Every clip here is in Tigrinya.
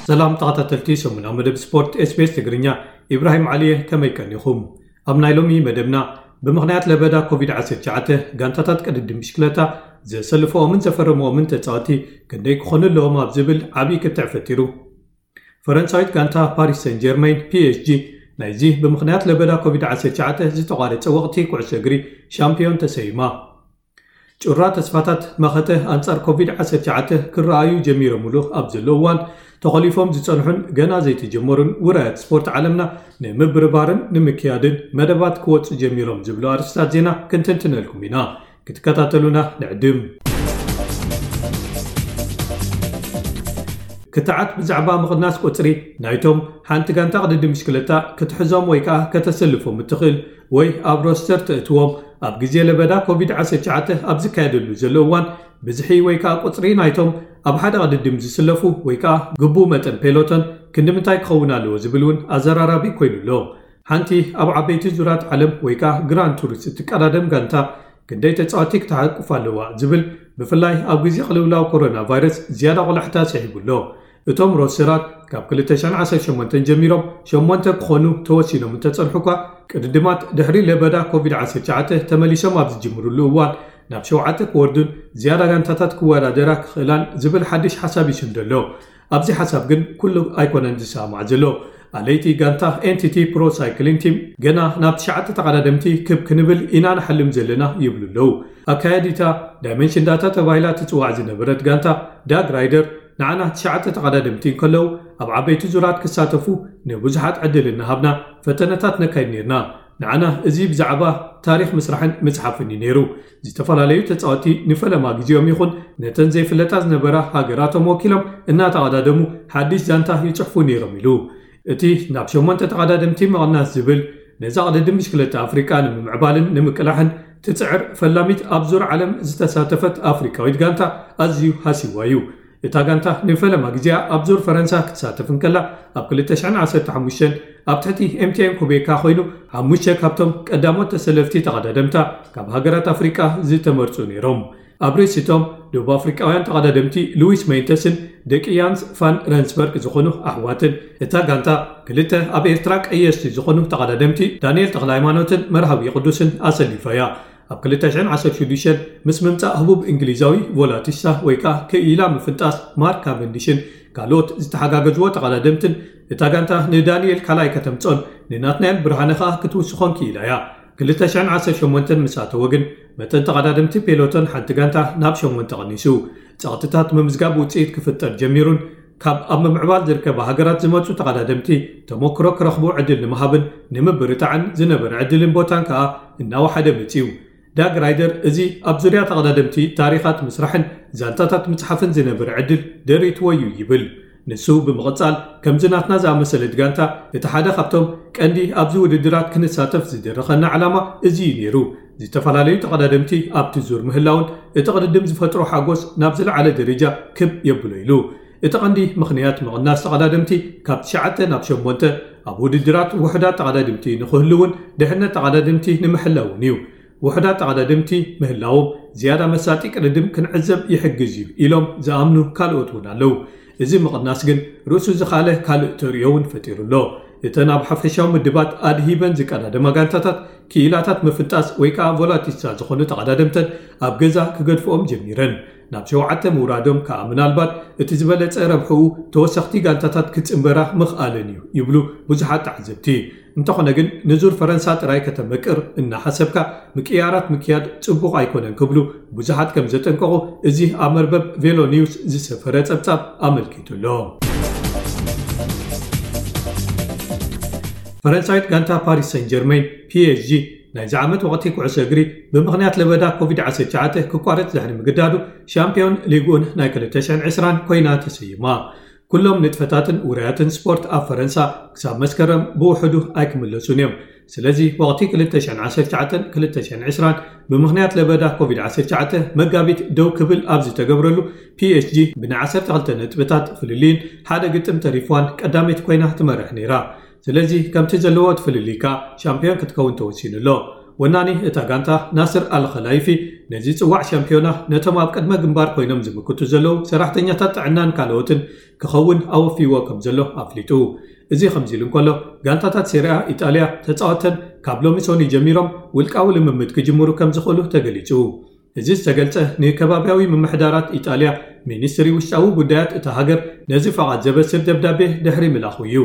ሰላም ተኸታተልቲ ሰሙናዊ መደብ ስፖርት SBS ትግርኛ፣ ኢብራሂም ዓሊየ፣ ከመይ ቀኒኹም? ኣብ ናይ ሎሚ መደብና፣ ብምኽንያት ለበዳ ኮቪድ ዓሰርተ ትሽዓተ፣ ጋንታታት ቅድድም ብሽክለታ ዘሰልፈኦምን ዘፈረምኦምን ተጻወቲ ክንደይ ክኾኑ ኣለዎም ኣብ ዝብል ዓብዪ ክትዕ ፈጢሩ። ፈረንሳዊት ጋንታ ፓሪስ ሰን ጀርመን፣ ፒ ኤስ ጂ፣ ናይዚ ብምኽንያት ለበዳ ኮቪድ ዓሰርተ ትሽዓተ ዝተቋረጸ ወቕቲ ኩዕሶ እግሪ ሻምፒዮን ተሰይማ። ጩራ ተስፋታት መኸተ ኣንጻር ኮቪድ ዓሰርተ ትሽዓተ ክረኣዩ ጀሚሮምሉ ኣብ ዘሎ እዋን፣ ተኾሊፎም ዝጸንሑን ገና ዘይተጀመሩን ውራያት ስፖርት ዓለምና ንምብርባርን ንምክያድን መደባት ክወጹ ጀሚሮም ዝብሉ ኣርእስታት ዜና ክንትንትነልኩም ኢና። ክትከታተሉና ንዕድም። ክትዓት ብዛዕባ ምቕናስ ቁጽሪ ናይቶም ሓንቲ ጋንታ ቅድድም ብሽክለታ ክትሕዞም ወይ ከኣ ከተሰልፎም እትኽእል ወይ ኣብ ሮስተር ተእትዎም ኣብ ግዜ ለበዳ ኮቪድ ዓሰርተ ትሽዓተ ኣብ ዝካየደሉ ዘሎ እዋን፣ ብዝሒ ወይ ከኣ ቁጽሪ ናይቶም ኣብ ሓደ ቅድድም ዝስለፉ ወይ ከኣ ግቡእ መጠን ፔሎቶን ክንዲ ምንታይ ክኸውን ኣለዎ ዝብል እውን ኣዘራራቢ ኮይኑ ኣሎ። ሓንቲ ኣብ ዓበይቲ ዙራት ዓለም ወይ ከኣ ግራንድ ቱርስ እትቀዳደም ጋንታ ክንደይ ተጻወቲ ክትሓቁፍ ኣለዋ ዝብል፣ ብፍላይ ኣብ ግዜ ቅልውላው ኮሮና ቫይረስ ዝያዳ ቆላሕታ ስሒቡ ኣሎ። እቶም ሮስተራት ካብ ክልተ ሽሕን ዓሰርተ ሸሞንተን ጀሚሮም ሸሞንተ ክኾኑ ተወሲኖም እንተጸንሑ እኳ፣ ቅድድማት ድሕሪ ለበዳ ኮቪድ ዓሰርተ ትሽዓተ ተመሊሶም ኣብ ዝጅምሩሉ እዋን ናብ ሸውዓተ ክወርዱን ዝያዳ ጋንታታት ክወዳደራ ክኽእላን ዝብል ሓድሽ ሓሳብ ይስንዶ ኣሎ። ኣብዚ ሓሳብ ግን ኩሉ ኣይኮነን ዝሰማማዕ ዘሎ። ኣለይቲ ጋንታ ኤን ቲ ቲ ፕሮ ሳይክሊንግ ቲም ገና ናብ ትሽዓተ ተቐዳደምቲ ክብ ክንብል ኢና ንሓልም ዘለና ይብሉ ኣለዉ። ኣካያዲታ ዳይመንሽን ዳታ ተባሂላ ትጽዋዕ ዝነበረት ጋንታ ዳግ ራይደር፣ ንዓና ትሽዓተ ተቐዳደምቲ እንከለዉ ኣብ ዓበይቲ ዙራት ክሳተፉ ንብዙሓት ዕድል እናሃብና ፈተነታት ነካይድ ነርና። ንዓና እዚ ብዛዕባ ታሪኽ ምስራሕን ምጽሓፍን እዩ ነይሩ። ዝተፈላለዩ ተጻወቲ ንፈለማ ግዜኦም ይኹን ነተን ዘይፍለጣ ዝነበራ ሃገራቶም ወኪሎም እናተቐዳደሙ ሓድሽ ዛንታ ይጽሕፉ ነይሮም ኢሉ። እቲ ናብ ሸሞንተ ተቐዳደምቲ ምቕናስ ዝብል ነዛ ቅድድም ብሽክለታ ኣፍሪቃ ንምምዕባልን ንምቅላሕን ትጽዕር ፈላሚት ኣብ ዙር ዓለም ዝተሳተፈት ኣፍሪቃዊት ጋንታ ኣዝዩ ሃሲዋ እዩ። እታ ጋንታ ንፈለማ ግዜኣ ኣብ ዙር ፈረንሳ ክትሳተፍ እንከላ፣ ኣብ ክልተ ሽሕን ዓሰርተ ሓሙሽተን ኣብ ትሕቲ ኤም ቲ ኤን ኩቤካ ኮይኑ ሓሙሽተ ካብቶም ቀዳሞት ተሰለፍቲ ተቐዳደምታ ካብ ሃገራት ኣፍሪቃ ዝተመርጹ ነይሮም። ኣብ ርእሲቶም ደቡብ ኣፍሪቃውያን ተቐዳደምቲ ሉዊስ ሜንተስን ደቂ ያንስ ፋን ረንስበርግ ዝኾኑ ኣሕዋትን፣ እታ ጋንታ ክልተ ኣብ ኤርትራ ቀየስቲ ዝኾኑ ተቐዳደምቲ ዳንኤል ተኽለሃይማኖትን መርሃዊ ቅዱስን ኣሰሊፋ እያ። ኣብ ክልተ ሽሕን ዓሰርተ ሽዱሽተን ምስ ምምጻእ ህቡብ እንግሊዛዊ ቮላቲሳ ወይ ከኣ ክኢላ ምፍንጣስ ማርክ ካቨንዲሽን ካልኦት ዝተሓጋገዝዎ ተቐዳደምትን፣ እታ ጋንታ ንዳንኤል ካልኣይ ከተምጽኦን ንናትናኤል ብርሃነ ከኣ ክትውስኾን ክኢላ እያ። ክልተ ሽሕን ዓሰርተ ሸሞንተን ምስ ኣተወ ግን መጠን ተቐዳደምቲ ፔሎቶን ሓንቲ ጋንታ ናብ ሸሞንተ ቀኒሱ። ጸቕጥታት ምምዝጋብ ውጽኢት ክፍጠር ጀሚሩን ካብ ኣብ ምምዕባል ዝርከባ ሃገራት ዝመጹ ተቐዳደምቲ ተመክሮ ክረኽቡ ዕድል ንምሃብን ንምብርታዕን ዝነበረ ዕድልን ቦታን ከኣ እናወሓደ መጺኡ። ዳግ ራይደር እዚ ኣብ ዙርያ ተቐዳደምቲ ታሪኻት ምስራሕን ዛንታታት ምጽሓፍን ዝነበረ ዕድል ደሪትዎ እዩ ይብል። ንሱ ብምቕጻል፣ ከምዚ ናትና ዝኣመሰለት ጋንታ፣ እቲ ሓደ ካብቶም ቀንዲ ኣብዚ ውድድራት ክንሳተፍ ዝደረኸና ዕላማ እዚ እዩ ነይሩ። ዝተፈላለዩ ተቐዳደምቲ ኣብቲ ዙር ምህላውን እቲ ቅድድም ዝፈጥሮ ሓጎስ ናብ ዝለዓለ ደረጃ ክብ የብሎ ኢሉ። እቲ ቀንዲ ምኽንያት ምቕናስ ተቐዳደምቲ ካብ ትሽዓተ ናብ ሸሞንተ ኣብ ውድድራት ውሑዳት ተቐዳደምቲ ንኽህልውን ድሕነት ተቐዳደምቲ ንምሕላውን እዩ። ውሑዳት ተቐዳደምቲ ምህላዎም ዝያዳ መሳጢ ቅድድም ክንዕዘብ ይሕግዝ እዩ ኢሎም ዝኣምኑ ካልኦት እውን ኣለዉ። እዚ ምቕናስ ግን ርእሱ ዝኻለ ካልእ ተርእዮ እውን ፈጢሩ ኣሎ። እተን ኣብ ሓፈሻዊ ምድባት ኣድሂበን ዝቀዳደማ ጋንታታት ክኢላታት ምፍንጣስ ወይ ከኣ ቮላቲስታ ዝኾኑ ተቐዳደምተን ኣብ ገዛ ክገድፍኦም ጀሚረን። ናብ ሸውዓተ ምውራዶም ከኣ ምናልባት እቲ ዝበለጸ ረብሕኡ ተወሰኽቲ ጋንታታት ክጽንበራ ምኽኣለን እዩ ይብሉ ብዙሓት ተዓዘብቲ። እንተኾነ ግን ንዙር ፈረንሳ ጥራይ ከተመቅር እናሓሰብካ ምቅያራት ምክያድ ጽቡቕ ኣይኮነን ክብሉ ብዙሓት ከም ዘጠንቀቑ እዚ ኣብ መርበብ ቬሎ ኒውስ ዝሰፈረ ጸብጻብ ኣመልኪቱ ኣሎ። ፈረንሳዊት ጋንታ ፓሪስ ሰን ጀርመን፣ ፒ ኤስ ጂ፣ ናይዚ ዓመት ወቕቲ ኩዕሶ እግሪ ብምኽንያት ለበዳ ኮቪድ ዓሰርተ ትሽዓተ ክቋረጽ ድሕሪ ምግዳዱ፣ ሻምፒዮን ሊግ ኡን ናይ ክልተ ሽሕን ዕስራን ኮይና ተሰይማ። ኩሎም ንጥፈታትን ውራያትን ስፖርት ኣብ ፈረንሳ ክሳብ መስከረም ብውሕዱ ኣይክምለሱን እዮም። ስለዚ ወቕቲ ክልተ ሽሕን ዓሰርተ ትሽዓተን ክልተ ሽሕን ዕስራን ብምኽንያት ለበዳ ኮቪድ ዓሰርተ ትሽዓተ መጋቢት ደው ክብል ኣብ ዝተገብረሉ፣ ፒ ኤስ ጂ ብናይ ዓሰርተ ክልተ ነጥብታት ፍልልይን ሓደ ግጥም ተሪፍዋን ቀዳመይቲ ኮይና ትመርሕ ነይራ። ስለዚ ከምቲ ዘለዎ እቲ ፍልልይ ከኣ ሻምፒዮን ክትከውን ተወሲኑ ኣሎ። ወናኒ እታ ጋንታ ናስር ኣልኸላይፊ ነዚ ጽዋዕ ሻምፒዮና ነቶም ኣብ ቅድመ ግንባር ኮይኖም ዝምክቱ ዘለዉ ሰራሕተኛታት ጥዕናን ካልኦትን ክኸውን ኣወፊዎ ከም ዘሎ ኣፍሊጡ። እዚ ከምዚ ኢሉ እንከሎ፣ ጋንታታት ሴሪያ ኢጣልያ ተጻወተን ካብ ሎሚ ሶኒ ጀሚሮም ውልቃዊ ልምምድ ክጅምሩ ከም ዝኽእሉ ተገሊጹ። እዚ ዝተገልጸ ንከባብያዊ ምምሕዳራት ኢጣልያ ሚኒስትሪ ውሽጣዊ ጉዳያት እታ ሃገር ነዚ ፈቓድ ዘበስር ደብዳቤ ድሕሪ ምላኹ እዩ።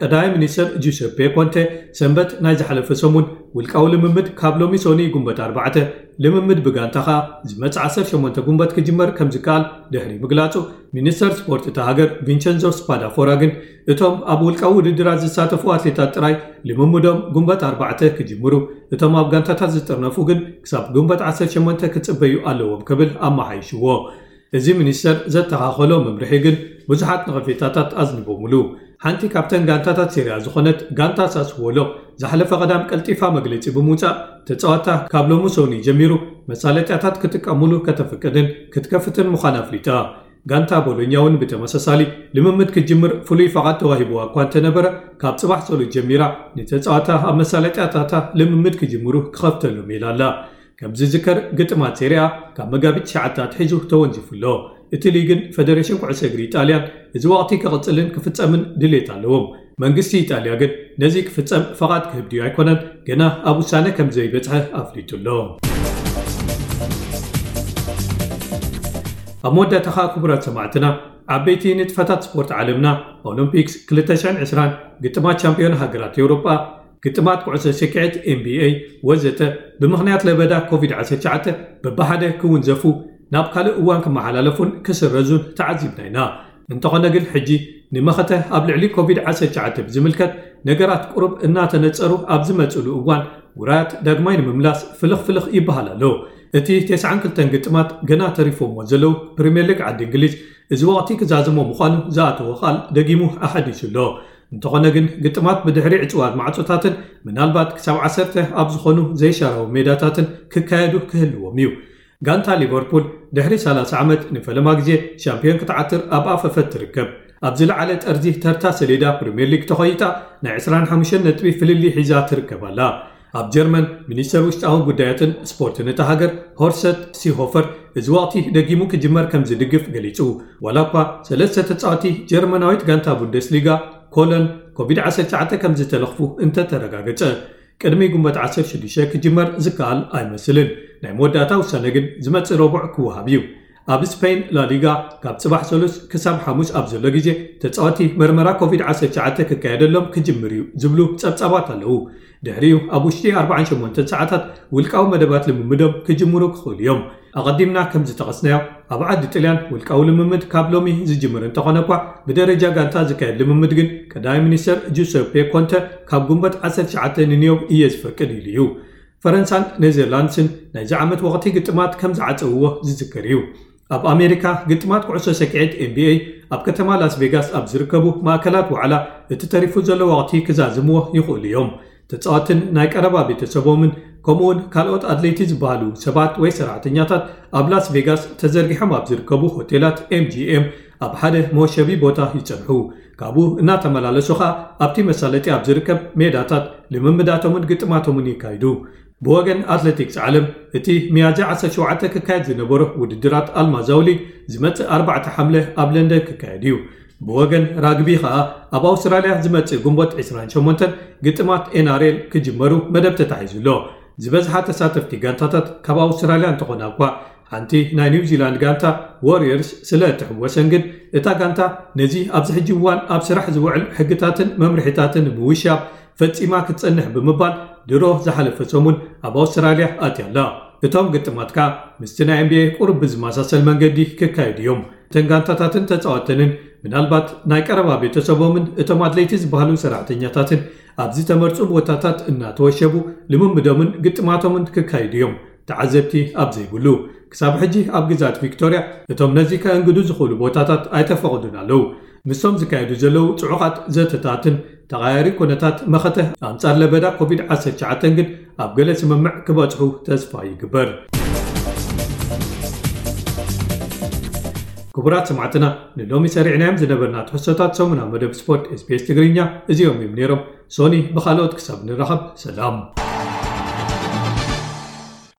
ቀዳማይ ሚኒስትር ጁሰፔ ኮንቴ ሰንበት ናይ ዝሓለፈ ሰሙን ውልቃዊ ልምምድ ካብ ሎሚ ሶኒ ጉንበት ኣርባዕተ፣ ልምምድ ብጋንታ ኸኣ ዝመጽእ ዓሰርተ ሸሞንተ ጉንበት ክጅመር ከም ዝከኣል ድሕሪ ምግላጹ፣ ሚኒስተር ስፖርት እታ ሃገር ቪንቸንዞ ስፓዳፎራ ግን እቶም ኣብ ውልቃዊ ውድድራት ዝሳተፉ ኣትሌታት ጥራይ ልምምዶም ጉንበት ኣርባዕተ ክጅምሩ፣ እቶም ኣብ ጋንታታት ዝጥርነፉ ግን ክሳብ ጉንበት ዓሰርተ ሸሞንተ ክጽበዩ ኣለዎም ክብል ኣመሓይሽዎ። እዚ ሚኒስተር ዘተኻኸሎ መምርሒ ግን ብዙሓት ነቐፌታታት ኣዝኒቦምሉ። ሓንቲ ካብተን ጋንታታት ሴሪያ ዝኾነት ጋንታ ሳስዎሎ ዝሓለፈ ቀዳም ቀልጢፋ መግለጺ ብምውጻእ፣ ተጻዋታ ካብ ሎሚ ሶኒ ጀሚሩ መሳለጥያታት ክጥቀሙሉ ከተፍቅድን ክትከፍትን ምዃና ኣፍሊጣ። ጋንታ ቦሎኛ እውን ብተመሳሳሊ ልምምድ ክትጅምር ፍሉይ ፈቓድ ተዋሂብዋ እኳ እንተነበረ፣ ካብ ጽባሕ ሰሉስ ጀሚራ ንተጻዋታ ኣብ መሳለጥያታታ ልምምድ ክጅምሩ ክኸፍተሎም ኢላ ኣላ። ከም ዝዝከር፣ ግጥማት ሴሪያ ካብ መጋቢት ትሽዓተ ኣትሒዙ ተወንዚፉ ኣሎ። እቲ ሊግን ፈደሬሽን ኩዕሶ እግሪ ኢጣልያን እዚ ወቕቲ ክቕጽልን ክፍጸምን ድሌት ኣለዎም። መንግስቲ ኢጣልያ ግን ነዚ ክፍጸም ፈቓድ ክህብ ድዩ ኣይኮነን ገና ኣብ ውሳነ ከም ዘይበጽሐ ኣፍሊጡ ኣሎ። ኣብ መወዳእታ ኸኣ፣ ክቡራት ሰማዕትና፣ ዓበይቲ ንጥፈታት ስፖርት ዓለምና፣ ኦሎምፒክስ ክልተ ሽሕን ዕስራን፣ ግጥማት ቻምፒዮን ሃገራት ኤውሮጳ፣ ግጥማት ኩዕሶ ሰኪዔት፣ ኤን ቢ ኤ፣ ወዘተ፣ ብምኽንያት ለበዳ ኮቪድ ዓሰርተ ትሽዓተ በብሓደ ክውንዘፉ ናብ ካልእ እዋን ክመሓላለፉን ክስረዙን ተዓዚብና ኢና። እንተኾነ ግን፣ ሕጂ ንመኸተ ኣብ ልዕሊ ኮቪድ ዓሰርተ ትሽዓተ ብዝምልከት ነገራት ቁሩብ እናተነጸሩ ኣብ ዝመጽሉ እዋን፣ ውራያት ዳግማይ ንምምላስ ፍልኽ ፍልኽ ይበሃል ኣሎ። እቲ ተስዓን ክልተን ግጥማት ገና ተሪፎምዎ ዘለዉ ፕሪምየር ሊግ ዓዲ እንግሊዝ፣ እዚ ወቕቲ ክዛዝሞ ምዃኑ ዝኣተዎ ቃል ደጊሙ ኣሓዲሱ ኣሎ። እንተኾነ ግን፣ ግጥማት ብድሕሪ ዕጽዋት ማዕጾታትን ምናልባት ክሳብ ዓሰርተ ኣብ ዝኾኑ ዘይሻራዊ ሜዳታትን ክካየዱ ክህልዎም እዩ። ጋንታ ሊቨርፑል ድሕሪ ሰላሳ ዓመት ንፈለማ ግዜ ሻምፒዮን ክትዓትር ኣብ ኣፈፈት ትርከብ። ኣብ ዝለዓለ ጠርዚ ተርታ ሰሌዳ ፕሪምየር ሊግ ተኾይጣ ናይ ዕስራን ሓሙሽተን ነጥቢ ፍልልይ ሒዛ ትርከብ ኣላ። ኣብ ጀርመን፣ ሚኒስተር ውሽጣዊ ጉዳያትን ስፖርትን እታ ሃገር ሆርሰት ሲሆፈር እዚ ወቕቲ ደጊሙ ክጅመር ከም ዝድግፍ ገሊጹ። ዋላ እኳ ሰለስተ ተጻወቲ ጀርመናዊት ጋንታ ቡንደስሊጋ ኮሎን ኮቪድ ዓሰርተ ትሽዓተ ከም ዝተለኽፉ እንተተረጋገጸ፣ ቅድሚ ጉንበት ዓሰርተ ሽዱሽተ ክጅመር ዝከኣል ኣይመስልን። ናይ መወዳእታ ውሳነ ግን ዝመጽእ ረቡዕ ክወሃብ እዩ። ኣብ ስፔን ላሊጋ ካብ ጽባሕ ሰሉስ ክሳብ ሓሙስ ኣብ ዘሎ ግዜ ተጻወቲ መርመራ ኮቪድ ዓሰርተ ትሽዓተ ክካየደሎም ክጅምር እዩ ዝብሉ ጸብጻባት ኣለዉ። ድሕሪኡ ኣብ ውሽጢ ኣርባዓን ሸሞንተን ሰዓታት ውልቃዊ መደባት ልምምዶም ክጅምሩ ክኽእሉ እዮም። ኣቐዲምና ከም ዝጠቐስናዮ፣ ኣብ ዓዲ ጥልያን ውልቃዊ ልምምድ ካብ ሎሚ ዝጅምር እንተኾነ እኳ፣ ብደረጃ ጋንታ ዝካየድ ልምምድ ግን ቀዳማይ ሚኒስተር ጁሰፔ ኮንተ ካብ ጉንበት ዓሰርተ ትሽዓተ ንንዮብ እየ ዝፈቅድ ኢሉ እዩ። ፈረንሳን ኔዘርላንድስን ናይዚ ዓመት ወቕቲ ግጥማት ከም ዝዓጸውዎ ዝዝከር እዩ። ኣብ ኣሜሪካ፣ ግጥማት ኩዕሶ ሰኪዔት ኤን ቢ ኤ ኣብ ከተማ ላስ ቬጋስ ኣብ ዝርከቡ ማእከላት ዋዕላ እቲ ተሪፉ ዘሎ ወቕቲ ክዛዝምዎ ይኽእሉ እዮም። ተጻወትን ናይ ቀረባ ቤተሰቦምን ከምኡውን ካልኦት ኣድለይቲ ዝበሃሉ ሰባት ወይ ሰራሕተኛታት ኣብ ላስ ቬጋስ ተዘርጊሖም ኣብ ዝርከቡ ሆቴላት ኤም ጂ ኤም ኣብ ሓደ መወሸቢ ቦታ ይጸንሑ። ካብኡ እናተመላለሱ ኸኣ ኣብቲ መሳለጢ ኣብ ዝርከብ ሜዳታት ልምምዳቶምን ግጥማቶምን የካይዱ። ብወገን ኣትሌቲክስ ዓለም፣ እቲ ሚያዝያ ዓሰርተ ሸውዓተ ክካየድ ዝነበሮ ውድድራት ኣልማዛዊ ሊግ ዝመጽእ ኣርባዕተ ሓምለ ኣብ ለንደን ክካየድ እዩ። ብወገን ራግቢ ኸኣ፣ ኣብ ኣውስትራልያ ዝመጽእ ግንቦት ዕስራን ሸሞንተን ግጥማት ኤን ኣር ኤል ክጅመሩ መደብ ተታሒዙ ኣሎ። ዝበዝሓ ተሳተፍቲ ጋንታታት ካብ ኣውስትራልያ እንተኾና እኳ፣ ሓንቲ ናይ ኒውዚላንድ ጋንታ፣ ዎሪየርስ፣ ስለ እትሕወሰን ግን፣ እታ ጋንታ ነዚ ኣብዚ ሕጂ እዋን ኣብ ስራሕ ዝውዕል ሕግታትን መምርሒታትን ምውሻብ ፈጺማ ክትጸንሕ ብምባል፣ ድሮ ዝሓለፈ ሰሙን ኣብ ኣውስትራልያ ኣትያ ኣላ። እቶም ግጥማት ከኣ ምስቲ ናይ ኤን ቢ ኤ ቁሩብ ብዝመሳሰል መንገዲ ክካየዱ እዮም። እተን ጋንታታትን ተጻወተንን፣ ምናልባት ናይ ቀረባ ቤተሰቦምን እቶም ኣድለይቲ ዝበሃሉ ሰራሕተኛታትን ኣብ ዝተመርጹ ቦታታት እናተወሸቡ ልምምዶምን ግጥማቶምን ክካየዱ እዮም፣ ተዓዘብቲ ኣብ ዘይብሉ። ክሳብ ሕጂ ኣብ ግዝኣት ቪክቶርያ እቶም ነዚ ከእንግዱ ዝኽእሉ ቦታታት ኣይተፈቕዱን ኣለዉ። ምስቶም ዝካየዱ ዘለዉ ጽዑቓት ዘተታትን ተቐያሪ ኩነታት መኸተ ኣንጻር ለበዳ ኮቪድ ዓሰርተ ትሽዓተ ግን ኣብ ገለ ስምምዕ ክበጽሑ ተስፋ ይግበር። ክቡራት ሰማዕትና፣ ንሎሚ ሰሪዕናዮም ዝነበርና ትሕዝቶታት ሰሙናዊ መደብ ስፖርት ኤስ ቢ ኤስ ትግርኛ እዚኦም እዮም ነይሮም። ሶኒ ብኻልኦት ክሳብ ንራኸብ፣ ሰላም።